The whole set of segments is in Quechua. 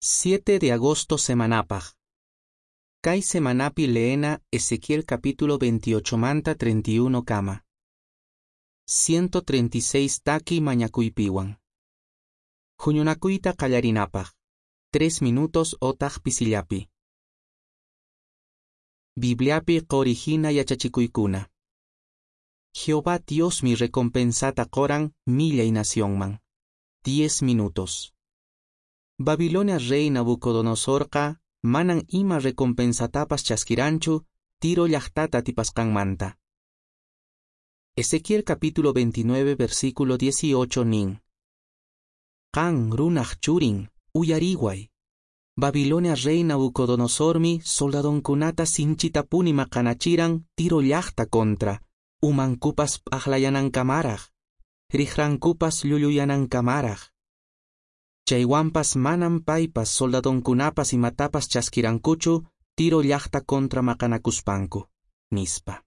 7 de agosto semanapaq. Kay semanapi leena Ezequiel capítulo 28 manta 31 kama. 136 taki mañakuypiwan. Huñunakuyta qallarinapaq. 3 minutos otaq pisillapi. Bibliapi qori hina yachachikuykuna. Jehová Diosmi recompensata qoran millay nacionman. 10 minutos. Babilonia rey Nabucodonosorqa manan ima recompensatapas chaskiranchu Tiro llaqtata atipasqanmanta. Ezequiel capítulo 29 versículo 18 nin. Qan runaq churin, uyariway. Babilonia rey Nabucodonosormi soldadonkunata sinchitapuni maqanachiran Tiro llaqta contra, umankupas p'aqlayanankamaraq, riqrankupas llulluyanankamaraq. Chaywanpas manam paypas soldadonkunapas imatapas chaskirankuchu Tiro llaqta contra maqanakuspanku, nispa.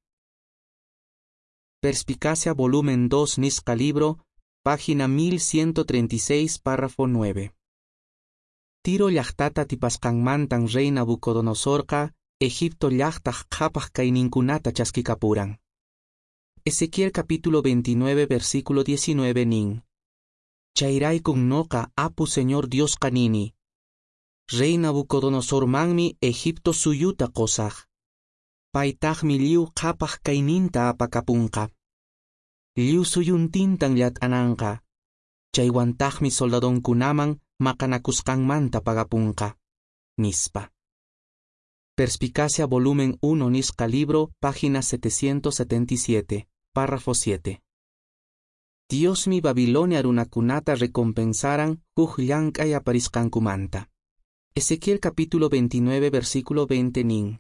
Perspicacia volumen 2 nisqa libro, página 1136, párrafo 9. Tiro llaqtata atipasqanmantan rey Nabucodonosorqa Egipto llaqtaq qhapaq kayninkunata chaskikapuran. Ezequiel capítulo 29 versículo 19 nin. Chayraykun noqa apu Señor Diosqa nini. Rey Nabucodonosormanmi Egipto suyuta qosaq. Paytaqmi lliw qhapaq kayninta apakapunqa. Lliw suyuntintan llat'ananqa. Chaywantaqmi soldadonkunaman maqanakusqanmanta pagapunqa. Nispa. Perspicacia volumen 1 nisqa libro, página 777, párrafo 7. Diosmi Babilonia runakunata recompensaran huk llank'ay aparisqankumanta. Ezequiel capítulo 29 versículo 20 nin.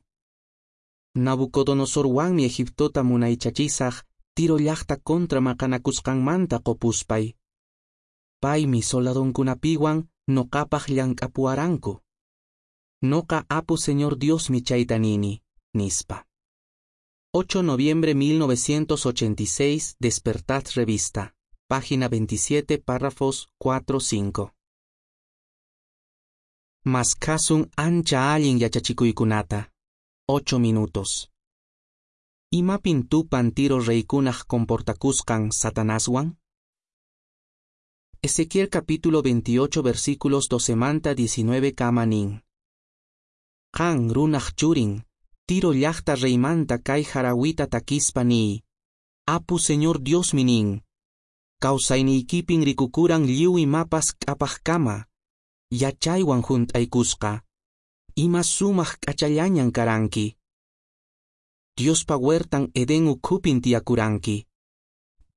Nabucodonosorwanmi Egiptota munaychachisaq Tiro llaqta contra maqanakusqanmanta qopuspay. Paymi soldadonkunapiwan noqapaq llank'apuwaranku. Noqa apu Señor Diosmi chayta nini, nispa. 8 noviembre 1986, Despertad Revista, página 27, párrafos 4-5. Maskhasun ancha allin yachachikuykunata. 8 minutos. Imapin tupan Tiro reykunaq comportakusqan Satanaswan? Ezequiel capítulo 28 versículos 12 manta 19 kama nin. Qan runaq churin, Tiro llaqta reymanta kay harawita takispa niy. Apu Señor Diosmi nin. Kawsayniykipin rikukuran lliw imapas k'apaqkama, yachaywan hunt'aykusqa. Ima sumaq k'achallañan karanki. Diospa huertan Edén ukhupin tiyakuranki.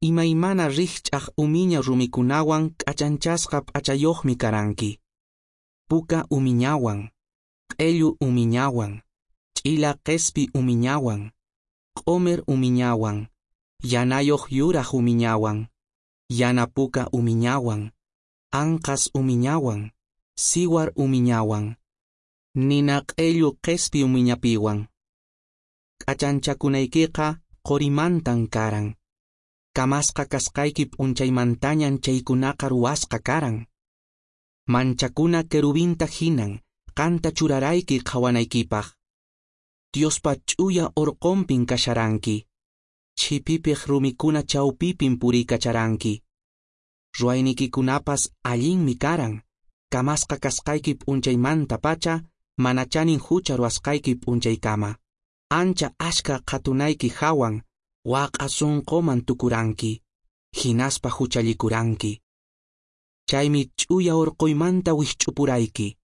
Imaymana rikch'aq umiña rumikunawan k'achanchasqa p'achayuqmi karanki. Puka umiñawan, q'ellu umiñawan, ch'ila qespi umiñawan, q'omer umiñawan, yanayuq yuraq umiñawan, yana puka umiñawan, anqas umiñawan, siwar umiñawan, nina q'ellu qespi umiñapiwan. K'achanchakunaykiqa qorimantan karan. Kamasqa kasqayki p'unchaymantañan chaykunaqa ruwasqa karan. Manchakuna querubinta hinan, qanta churarayki qhawanaykipaq. Diospa ch'uya orqonpin kasharanki. Chhipipiq rumikuna chawpipin puriykacharanki. Ruwaynikikunapas allinmi karan. Kamasqa kasqayki p'unchaymantapacha, mana chanin hucha ruwasqayki p'unchaykama. Ancha ashka qhatunayki hawan, waq'a sunquman tukuranki, hinaspa huchallikuranki. Chaymi ch'uya urquymanta wikch'upurayki.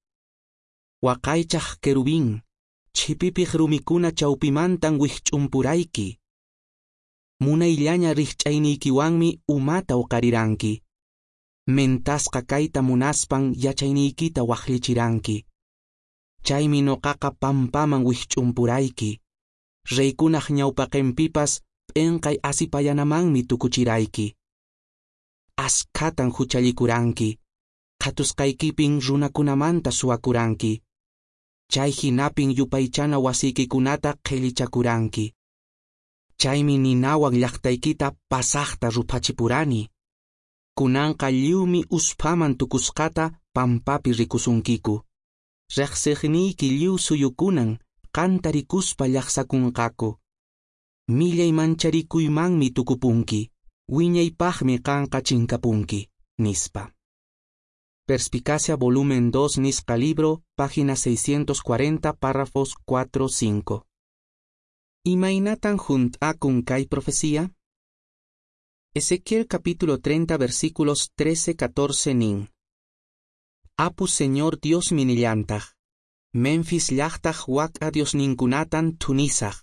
Waqaychaq querubín, chhipipiq rumikuna chawpimantan wikch'umpurayki. Munayllaña rikch'ayniykiwanmi umata uqariranki. Mentasqa kayta munaspan yachayniykita waqllichiranki. Chaymi noqaqa pampaman wikch'umpurayki. Reykunaq ñawpaqinpipas p'inqay asipayanamanmi tukuchirayki. Askhatan huchallikuranki. Qhatusqaykipin runakunamanta suwakuranki. Chay hinapin yupaychana wasiykikunata qhillichakuranki. Chaymi ninawan llaqtaykita pasaqta ruphachipurani. Kunanqa lliwmi usphaman tukusqata pampapi rikusunkiku. Reqsiqniyki lliw suyukunan qanta rikuspa llaqsakunqaku. Millay mancharikuymanmi tukupunki, wiñaypaqmi qanqa chinkapunki, nispa. Perspicacia volumen 2 nisqa libro, página 640, párrafos 4-5. Imaynatan hunt'akun kay profecía? Ezequiel capítulo 30 versículos 13-14 nin. Apu Señor Diosmi nillantaq. Memphis llaqtaq wak'a diosninkunatan thunisaq.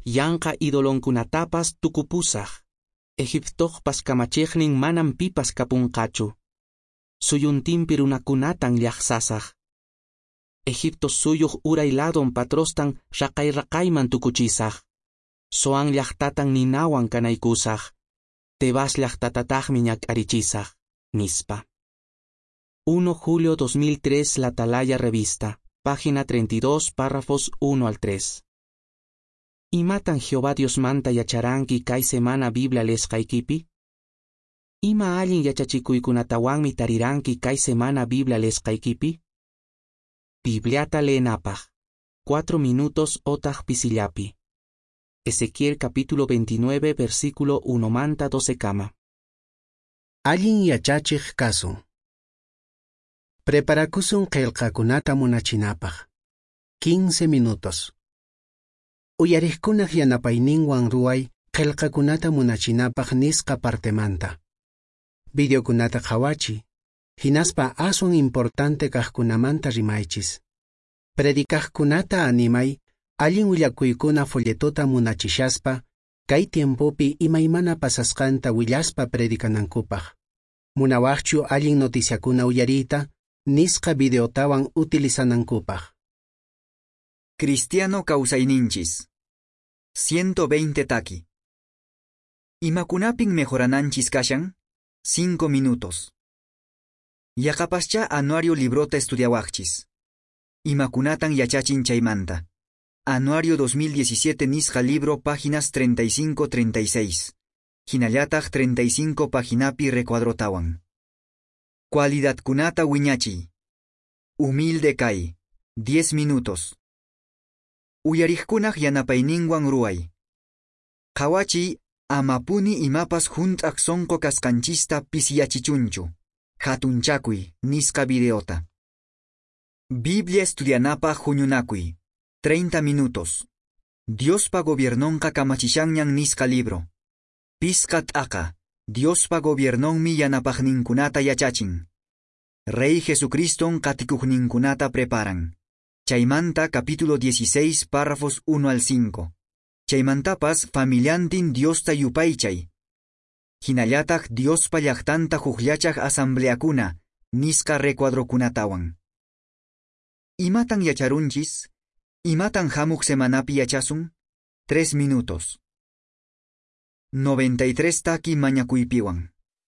Yanqa idolonkunatapas tukupusaq. Egiptoqpas kamachiqnin manam pipas kapunqachu. Suyuntinpi runakunatan llaqsasaq. Egipto suyuq uray ladon Patrostan raqay raqayman tukuchisaq. Zoan llaqtatan ninawan kanaykusaq. Tebas llaqtatataqmi ñak'arichisaq, nispa. 1 julio 2003 La Atalaya Revista, página 32, párrafos 1 al 3. Imatan Jehová Diosmanta yacharanki kay semana Biblia leesqaykipi? Ima allin yachachikuykunatawanmi tariranki kay semana Biblia leesqaykipi? Bibliata leenapaq. 4 minutos otaq pisillapi. Ezequiel capítulo 29 versículo 1 manta 12 kama. Allin yachachiq kasun. Preparakusun qillqakunata munachinapaq. 15 minutos. Uyariqkunaq yanapayninwan ruway qillqakunata munachinapaq nisqa partemanta. Videokunata qhawachiy, hinaspa aswan importante kaqkunamanta rimaychis. Predicaqkunata animay, allin willakuykuna folletota munachishaspa, kay tiempopi imaymana pasasqanta willaspa predicanankupaq. Munawaqchu allin noticiakuna uyariyta, nisqa videotawan utilizanankupaq. Cristiano kawsayninchis. 120 taki. Imakunapin mejorananchis kashan? 5 minutos. Yaqapaschá anuario librota estudiawaqchis. Imakunatan yachachin chaymanta. Anuario 2017 nisqa libro páginas 35-36. Hinallataq 35 paginapi recuadrotawan. Cualidadkunata wiñachiy. Humilde kay. 10 minutos. Uyariqkunaq yanapayninwan ruway. Qhawachiy amapuni imapas hunt'aq sonqo kasqanchista pisiyachichunchu. Hatunchakuy nisqa videota. Biblia estudianapaq huñunakuy. 30 minutos. Diospa gobiernonqa kamachishanñan nisqa libro. Pisqa t'aqa. Diospa gobiernonmi yanapaqninkunata yachachin. Rey Jesucriston qatikuqninkunata preparan. Chaymanta capítulo 16 párrafos 1 al 5. Chaymantapas familiantin Diosta yupaychay. Hinallataq Diospa llaqtanta hukllachaq asambleakuna nisqa recuadrokunatawan. Imatan yacharunchis? Imatan hamuq semanapi yachasun? 3 minutos. 93 taki mañakuypiwan.